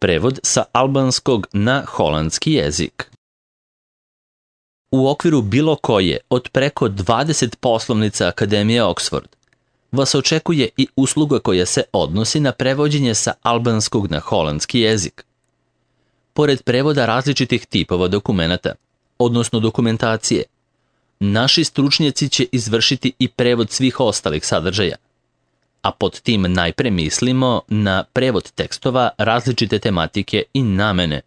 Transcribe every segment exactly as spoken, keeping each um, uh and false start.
Prevod sa albanskog na holandski jezik. U okviru bilo koje od preko dvadeset poslovnica Akademije Oxford vas očekuje i usluga koja se odnosi na prevođenje sa albanskog na holandski jezik. Pored prevoda različitih tipova dokumenata, odnosno dokumentacije, naši stručnjaci će izvršiti i prevod svih ostalih sadržaja, a pod tim najpre mislimo na prevod tekstova različite tematike i namene,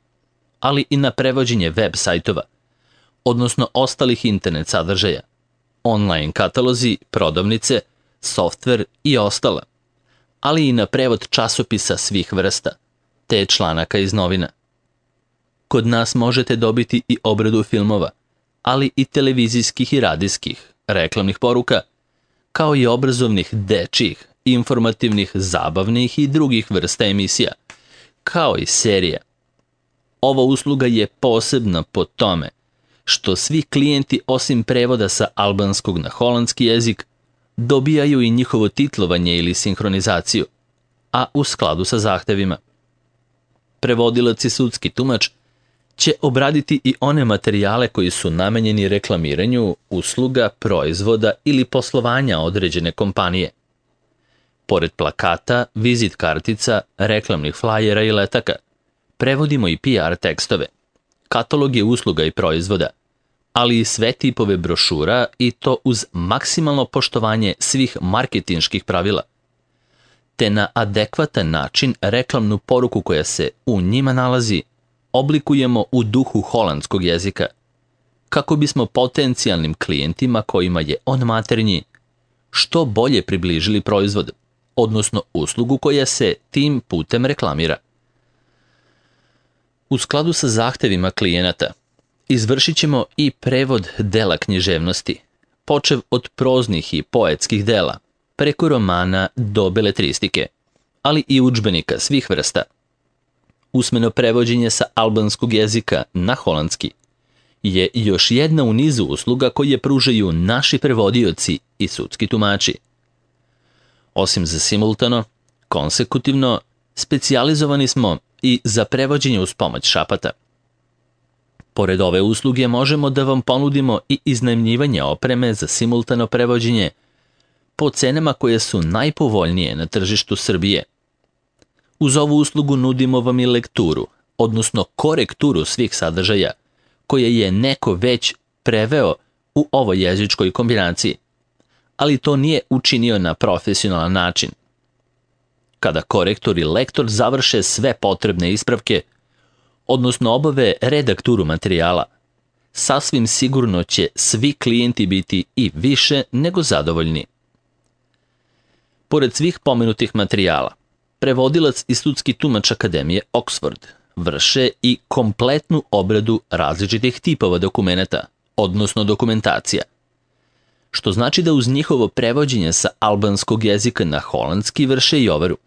ali i na prevođenje web sajtova, odnosno ostalih internet sadržaja, online katalozi, prodavnice, softver i ostala, ali i na prevod časopisa svih vrsta, te članaka iz novina. Kod nas možete dobiti i obradu filmova, ali i televizijskih i radijskih, reklamnih poruka, kao i obrazovnih dečjih, informativnih, zabavnih i drugih vrsta emisija, kao i serija. Ova usluga je posebna po tome što svi klijenti osim prevoda sa albanskog na holandski jezik dobijaju i njihovo titlovanje ili sinhronizaciju, a u skladu sa zahtevima. Prevodilac i sudski tumač će obraditi i one materijale koji su namenjeni reklamiranju usluga, proizvoda ili poslovanja određene kompanije. Pored plakata, vizit kartica, reklamnih flajera i letaka, prevodimo i P R tekstove, kataloge usluga i proizvoda, ali i sve tipove brošura i to uz maksimalno poštovanje svih marketinških pravila, te na adekvatan način reklamnu poruku koja se u njima nalazi oblikujemo u duhu holandskog jezika, kako bismo potencijalnim klijentima kojima je on maternji što bolje približili proizvod, odnosno uslugu koja se tim putem reklamira. U skladu sa zahtevima klijenata, izvršit ćemo i prevod dela književnosti, počev od proznih i poetskih dela, preko romana do beletristike, ali i udžbenika svih vrsta. Usmeno prevođenje sa albanskog jezika na holandski je još jedna u nizu usluga koje pružaju naši prevodioci i sudski tumači. Osim za simultano, konsekutivno, specijalizovani smo i za prevođenje uz pomoć šapata. Pored ove usluge možemo da vam ponudimo i iznajmljivanje opreme za simultano prevođenje po cenama koje su najpovoljnije na tržištu Srbije. Uz ovu uslugu nudimo vam i lekturu, odnosno korekturu svih sadržaja koje je neko već preveo u ovoj jezičkoj kombinaciji, ali to nije učinio na profesionalan način. Kada korektor i lektor završe sve potrebne ispravke, odnosno obave redakturu materijala, sasvim sigurno će svi klijenti biti i više nego zadovoljni. Pored svih pomenutih materijala, prevodilac i sudski tumač Akademije Oxford vrše i kompletnu obradu različitih tipova dokumenata, odnosno dokumentacija, što znači da uz njihovo prevođenje sa albanskog jezika na holandski vrše i overu.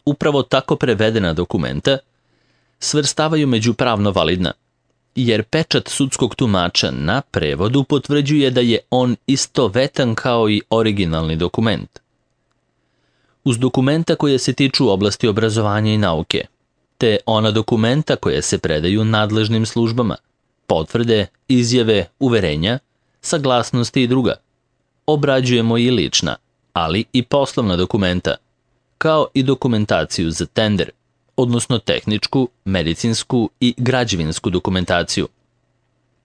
Upravo tako prevedena dokumenta svrstavaju među pravno validna, jer pečat sudskog tumača na prevodu potvrđuje da je on istovetan kao i originalni dokument. Uz dokumenta koje se tiču oblasti obrazovanja i nauke, te ona dokumenta koje se predaju nadležnim službama, potvrde, izjave, uverenja, saglasnosti i druga, obrađujemo i lična, ali i poslovna dokumenta, kao i dokumentaciju za tender, odnosno tehničku, medicinsku i građevinsku dokumentaciju.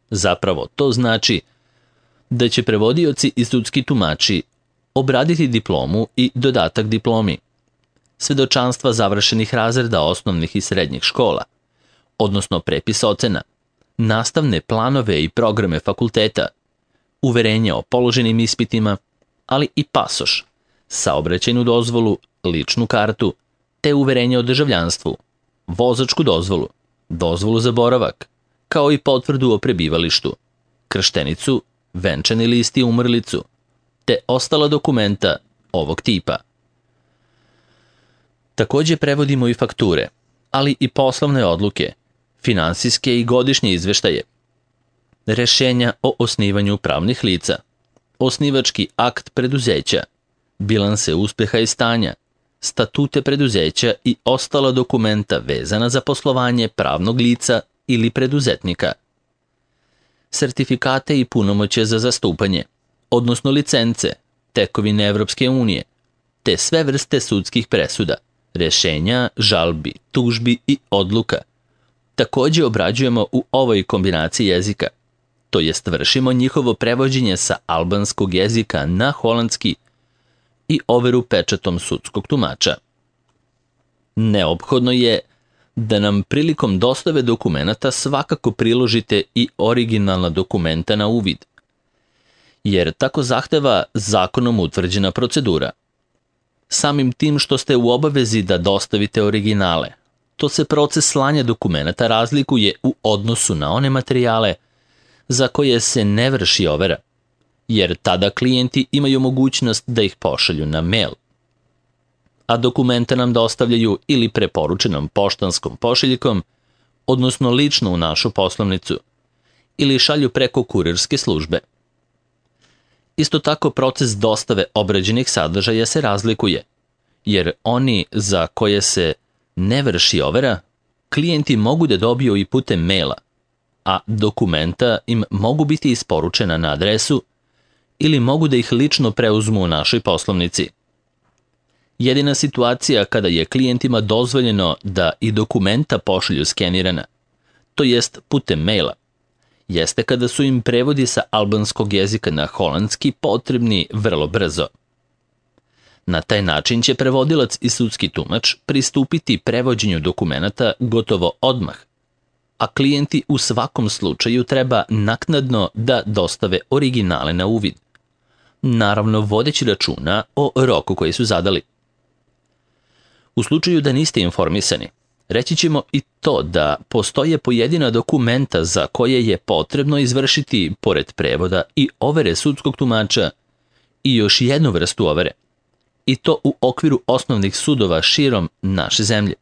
Zapravo to znači da će prevodioci i sudski tumači obraditi diplomu i dodatak diplomi, svedočanstva završenih razreda osnovnih i srednjih škola, odnosno prepis ocena, nastavne planove i programe fakulteta, uverenje o položenim ispitima, ali i pasoš, saobraćajnu dozvolu, ličnu kartu, te uverenje o državljanstvu, vozačku dozvolu, dozvolu za boravak, kao i potvrdu o prebivalištu, krštenicu, venčani list i umrlicu, te ostala dokumenta ovog tipa. Takođe prevodimo i fakture, ali i poslovne odluke, finansijske i godišnje izveštaje, rešenja o osnivanju pravnih lica, osnivački akt preduzeća, bilanse uspeha i stanja, statute preduzeća i ostala dokumenta vezana za poslovanje pravnog lica ili preduzetnika, sertifikate i punomoćje za zastupanje, odnosno licence, tekovine Evropske unije, te sve vrste sudskih presuda, rešenja, žalbi, tužbi i odluka. Takođe obrađujemo u ovoj kombinaciji jezika, to jest vršimo njihovo prevođenje sa albanskog jezika na holandski i overu pečatom sudskog tumača. Neophodno je da nam prilikom dostave dokumenata svakako priložite i originalna dokumenta na uvid, jer tako zahteva zakonom utvrđena procedura. Samim tim što ste u obavezi da dostavite originale, to se proces slanja dokumenata razlikuje u odnosu na one materijale za koje se ne vrši overa, jer tada klijenti imaju mogućnost da ih pošalju na mail, a dokumenta nam dostavljaju ili preporučenom poštanskom pošiljkom, odnosno lično u našu poslovnicu, ili šalju preko kurirske službe. Isto tako proces dostave obrađenih sadržaja se razlikuje, jer oni za koje se ne vrši overa, klijenti mogu da dobiju i putem maila, a dokumenta im mogu biti isporučena na adresu ili mogu da ih lično preuzmu u našoj poslovnici. Jedina situacija kada je klijentima dozvoljeno da i dokumenta pošalju skenirana, to jest putem maila, jeste kada su im prevodi sa albanskog jezika na holandski potrebni vrlo brzo. Na taj način će prevodilac i sudski tumač pristupiti prevođenju dokumenata gotovo odmah, a klijenti u svakom slučaju treba naknadno da dostave originale na uvid, naravno vodeći računa o roku koji su zadali. U slučaju da niste informisani, reći ćemo i to da postoje pojedina dokumenta za koje je potrebno izvršiti, pored prevoda i overe sudskog tumača, i još jednu vrstu overe, i to u okviru osnovnih sudova širom naše zemlje.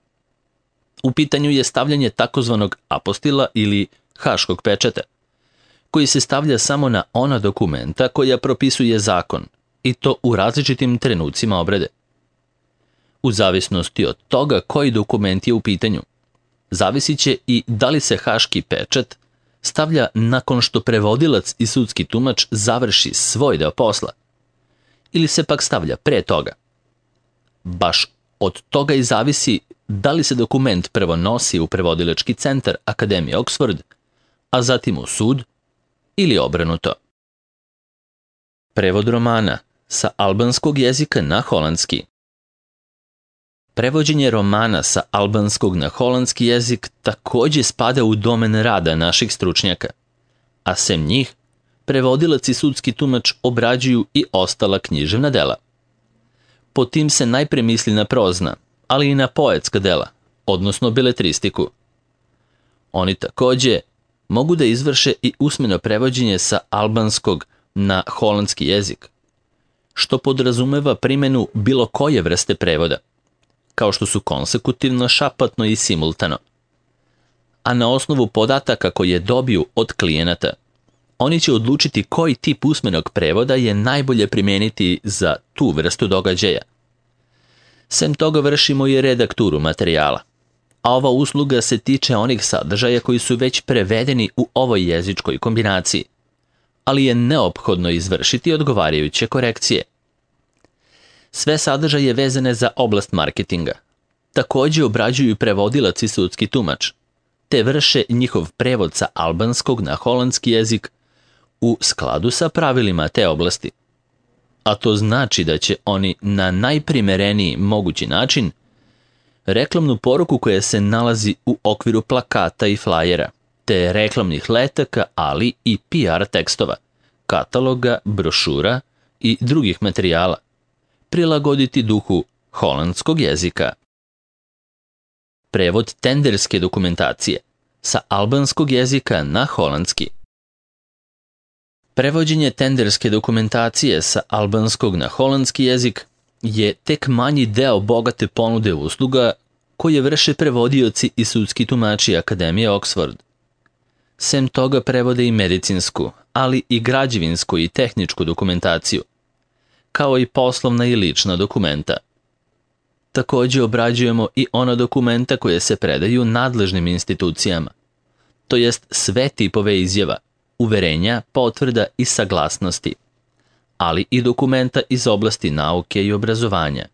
U pitanju je stavljanje takozvanog apostila ili haškog pečata, koji se stavlja samo na ona dokumenta koja propisuje zakon, i to u različitim trenucima obrade. U zavisnosti od toga koji dokument je u pitanju, zavisit će i da li se haški pečat stavlja nakon što prevodilac i sudski tumač završi svoj deo posla, ili se pak stavlja pre toga. Baš od toga i zavisi da li se dokument prvo nosi u prevodilački centar Akademije Oxford, a zatim u sud, ili obrnuto. Prevod romana sa albanskog jezika na holandski. Prevođenje romana sa albanskog na holandski jezik takođe spada u domen rada naših stručnjaka, a sem njih, prevodilac i sudski tumač obrađuju i ostala književna dela. Po tim se najpre misli na prozna, ali i na poetska dela, odnosno beletristiku. Oni takođe mogu da izvrše i usmeno prevođenje sa albanskog na holandski jezik, što podrazumeva primenu bilo koje vrste prevoda, kao što su konsekutivno, šapatno i simultano. A na osnovu podataka koje dobiju od klijenata, oni će odlučiti koji tip usmenog prevoda je najbolje primeniti za tu vrstu događaja. Sem toga vršimo i redakturu materijala, a ova usluga se tiče onih sadržaja koji su već prevedeni u ovoj jezičkoj kombinaciji, ali je neophodno izvršiti odgovarajuće korekcije. Sve sadržaje vezane za oblast marketinga takođe obrađuju prevodilac i sudski tumač, te vrše njihov prevod sa albanskog na holandski jezik u skladu sa pravilima te oblasti. A to znači da će oni na najprimereniji mogući način reklamnu poruku koja se nalazi u okviru plakata i flajera, te reklamnih letaka, ali i P R tekstova, kataloga, brošura i drugih materijala, prilagoditi duhu holandskog jezika. Prevod tenderske dokumentacije sa albanskog jezika na holandski. Prevođenje tenderske dokumentacije sa albanskog na holandski jezik je tek manji deo bogate ponude usluga koje vrše prevodioci i sudski tumači Akademije Oxford. Sem toga prevode i medicinsku, ali i građevinsku i tehničku dokumentaciju, kao i poslovna i lična dokumenta. Također obrađujemo i ona dokumenta koje se predaju nadležnim institucijama, to jest sve tipove izjava, uverenja, potvrda i saglasnosti, ali i dokumenta iz oblasti nauke i obrazovanja.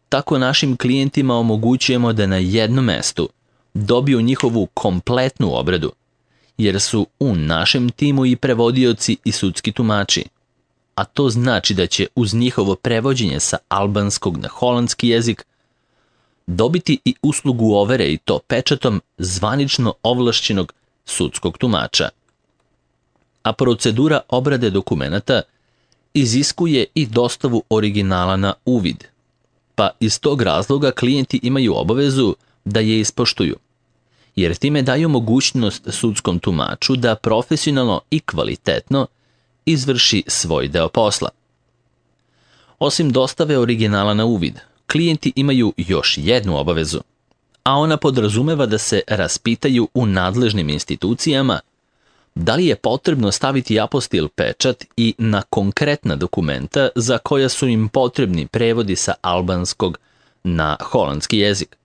Tako našim klijentima omogućujemo da na jednom mestu dobiju njihovu kompletnu obradu, jer su u našem timu i prevodioci i sudski tumači, a to znači da će uz njihovo prevođenje sa albanskog na holandski jezik dobiti i uslugu overe i to pečatom zvanično ovlašćenog sudskog tumača. A procedura obrade dokumenata iziskuje i dostavu originala na uvid, pa iz tog razloga klijenti imaju obavezu da je ispoštuju, jer time daju mogućnost sudskom tumaču da profesionalno i kvalitetno izvrši svoj deo posla. Osim dostave originala na uvid, klijenti imaju još jednu obavezu, a ona podrazumeva da se raspitaju u nadležnim institucijama da li je potrebno staviti apostil pečat i na konkretna dokumenta za koja su im potrebni prevodi sa albanskog na holandski jezik.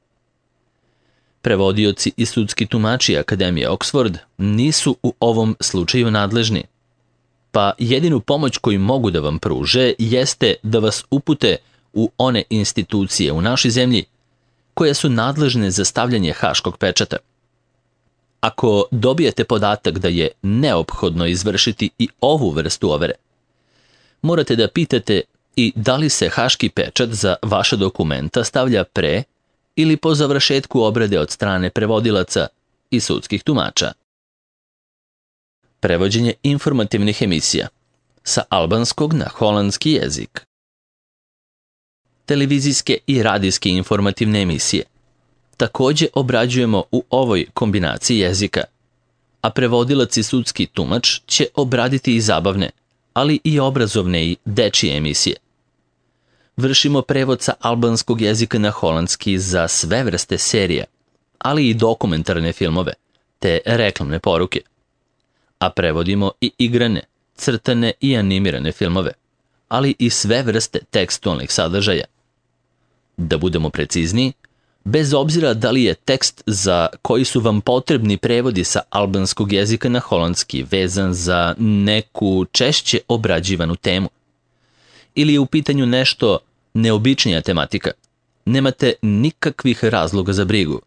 Prevodioci i sudski tumači Akademije Oxford nisu u ovom slučaju nadležni, pa jedinu pomoć koju mogu da vam pruže jeste da vas upute u one institucije u našoj zemlji koje su nadležne za stavljanje haškog pečata. Ako dobijete podatak da je neophodno izvršiti i ovu vrstu overe, morate da pitate i da li se haški pečat za vaša dokumenta stavlja pre ili po završetku obrade od strane prevodilaca i sudskih tumača. Prevođenje informativnih emisija sa albanskog na holandski jezik. Televizijske i radijske informativne emisije također obrađujemo u ovoj kombinaciji jezika, a prevodilac i sudski tumač će obraditi i zabavne, ali i obrazovne i dečije emisije. Vršimo prevod sa albanskog jezika na holandski za sve vrste serija, ali i dokumentarne filmove, te reklamne poruke. A prevodimo i igrane, crtane i animirane filmove, ali i sve vrste tekstualnih sadržaja. Da budemo precizniji, bez obzira da li je tekst za koji su vam potrebni prevodi sa albanskog jezika na holandski vezan za neku češće obrađivanu temu, ili je u pitanju nešto neobičnija tematika, nemate nikakvih razloga za brigu,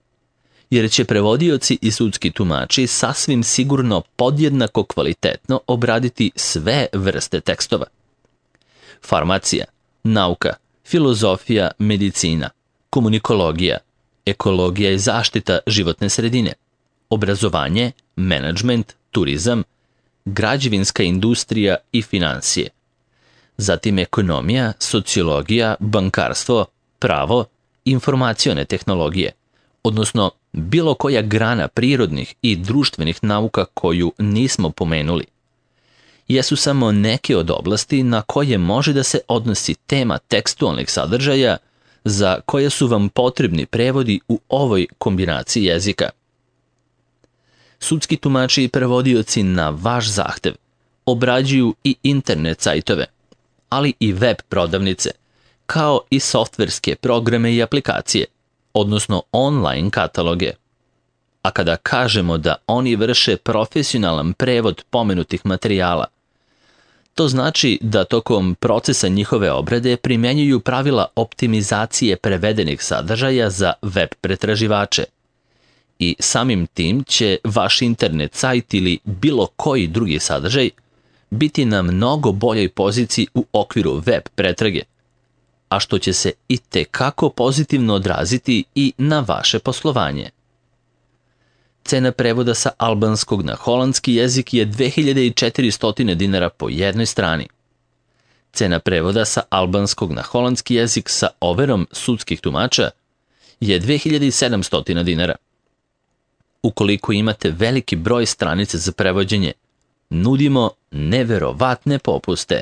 jer će prevodioci i sudski tumači sasvim sigurno podjednako kvalitetno obraditi sve vrste tekstova. Farmacija, nauka, filozofija, medicina, komunikologija, ekologija i zaštita životne sredine, obrazovanje, menadžment, turizam, građevinska industrija i financije. Zatim ekonomija, sociologija, bankarstvo, pravo, informacione tehnologije, odnosno bilo koja grana prirodnih i društvenih nauka koju nismo pomenuli, jesu samo neke od oblasti na koje može da se odnosi tema tekstualnih sadržaja za koje su vam potrebni prevodi u ovoj kombinaciji jezika. Sudski tumači i prevodioci na vaš zahtev obrađuju i internet sajtove, ali i web prodavnice, kao i softverske programe i aplikacije, odnosno online kataloge. A kada kažemo da oni vrše profesionalan prevod pomenutih materijala, to znači da tokom procesa njihove obrade primjenjuju pravila optimizacije prevedenih sadržaja za web pretraživače. I samim tim će vaš internet sajt ili bilo koji drugi sadržaj biti na mnogo boljoj poziciji u okviru web pretrage, a što će se i tekako pozitivno odraziti i na vaše poslovanje. Cena prevoda sa albanskog na holandski jezik je dve hiljade četiristo dinara po jednoj strani. Cena prevoda sa albanskog na holandski jezik sa overom sudskih tumača je dve hiljade sedamsto dinara. Ukoliko imate veliki broj stranica za prevođenje, nudimo neverovatne popuste.